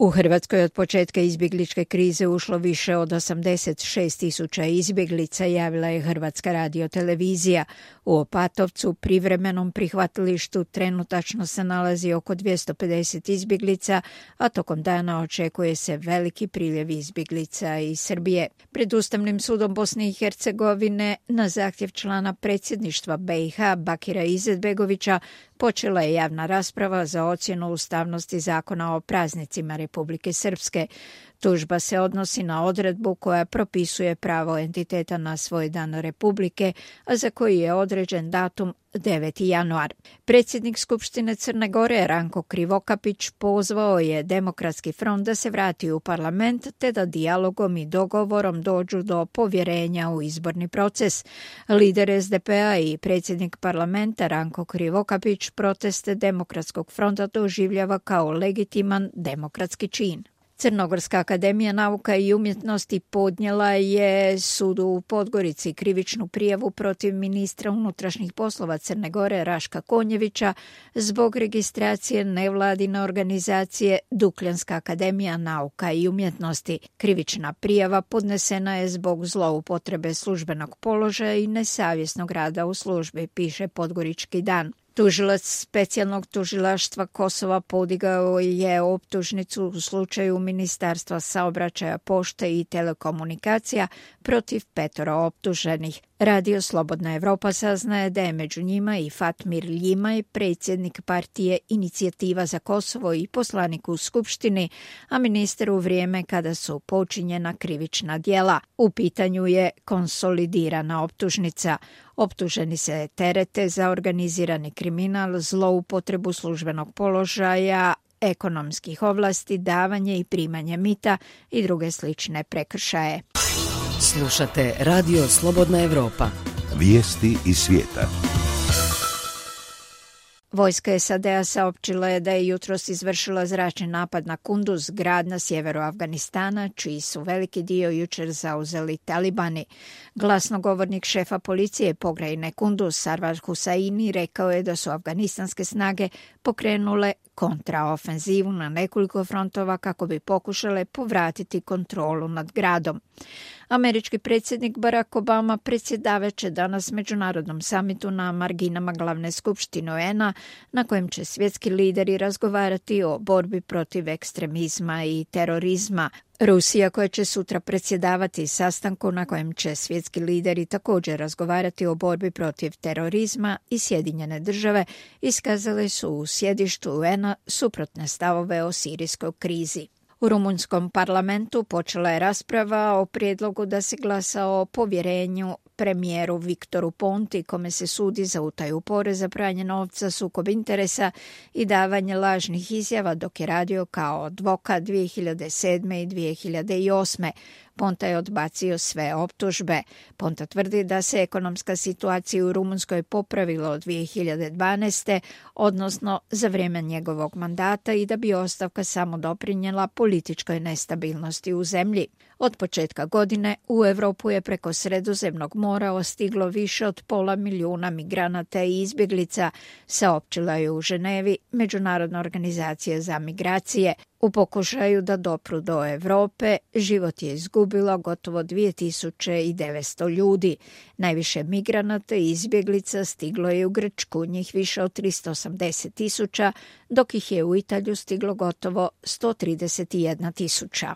U Hrvatskoj od početka izbjegličke krize ušlo više od 86.000 izbjeglica, javila je Hrvatska radiotelevizija. U Opatovcu, privremenom prihvatilištu, trenutačno se nalazi oko 250 izbjeglica, a tokom dana očekuje se veliki priljev izbjeglica iz Srbije. Pred Ustavnim sudom Bosne i Hercegovine na zahtjev člana predsjedništva BiH Bakira Izetbegovića počela je javna rasprava za ocjenu ustavnosti zakona o praznicima Republike Srpske. Tužba se odnosi na odredbu koja propisuje pravo entiteta na svoj dan Republike, a za koji je određen datum 9. januar. Predsjednik Skupštine Crne Gore Ranko Krivokapić pozvao je Demokratski front da se vrati u parlament te da dijalogom i dogovorom dođu do povjerenja u izborni proces. Lider SDP-a i predsjednik parlamenta Ranko Krivokapić proteste Demokratskog fronta doživljava kao legitiman demokratski čin. Crnogorska akademija nauka i umjetnosti podnijela je sudu u Podgorici krivičnu prijavu protiv ministra unutrašnjih poslova Crne Gore Raška Konjevića zbog registracije nevladine organizacije Dukljanska akademija nauka i umjetnosti. Krivična prijava podnesena je zbog zloupotrebe službenog položaja i nesavjesnog rada u službi, piše Podgorički dan. Tužilac specijalnog tužilaštva Kosova podigao je optužnicu u slučaju Ministarstva saobraćaja, pošte i telekomunikacija protiv 5 optuženih. Radio Slobodna Evropa saznaje da je među njima i Fatmir Ljimaj, predsjednik partije Inicijativa za Kosovo i poslanik u Skupštini, a ministar u vrijeme kada su počinjena krivična djela. U pitanju je konsolidirana optužnica. Optuženi se terete za organizirani kriminal, zloupotrebu službenog položaja, ekonomskih ovlasti, davanje i primanje mita i druge slične prekršaje. Slušate Radio Slobodna Evropa. Vijesti iz svijeta. Vojska SAD-a saopćila je da je jutros izvršila zračni napad na Kunduz, grad na sjeveru Afganistana, čiji su veliki dio jučer zauzeli talibani. Glasnogovornik šefa policije pokrajine Kunduz, Sarwar Hussaini, rekao je da su afganistanske snage pokrenule kontraofenzivu na nekoliko frontova kako bi pokušale povratiti kontrolu nad gradom. Američki predsjednik Barack Obama predsjedavat će danas međunarodnom samitu na marginama glavne skupštine UN-a, na kojem će svjetski lideri razgovarati o borbi protiv ekstremizma i terorizma. Rusija, koja će sutra predsjedavati sastanku na kojem će svjetski lideri također razgovarati o borbi protiv terorizma, i Sjedinjene države iskazale su u sjedištu UN-a suprotne stavove o sirijskoj krizi. U rumunjskom parlamentu počela je rasprava o prijedlogu da se glasa o povjerenju premijeru Viktoru Ponti, kome se sudi za utaju poreza, pranje novca, sukob interesa i davanje lažnih izjava dok je radio kao advokat 2007. i 2008. Ponta je odbacio sve optužbe. Ponta tvrdi da se ekonomska situacija u Rumunjskoj popravila od 2012. odnosno za vrijeme njegovog mandata, i da bi ostavka samo doprinijela političkoj nestabilnosti u zemlji. Od početka godine u Europu je preko Sredozemnog mora stiglo više od 500.000 migranata i izbjeglica, saopćila je u Ženevi Međunarodna organizacija za migracije. U pokušaju da dopru do Europe život je izgubilo gotovo 2900 ljudi. Najviše migranata i izbjeglica stiglo je u Grčku, njih više od 380.000, dok ih je u Italiju stiglo gotovo 131.000.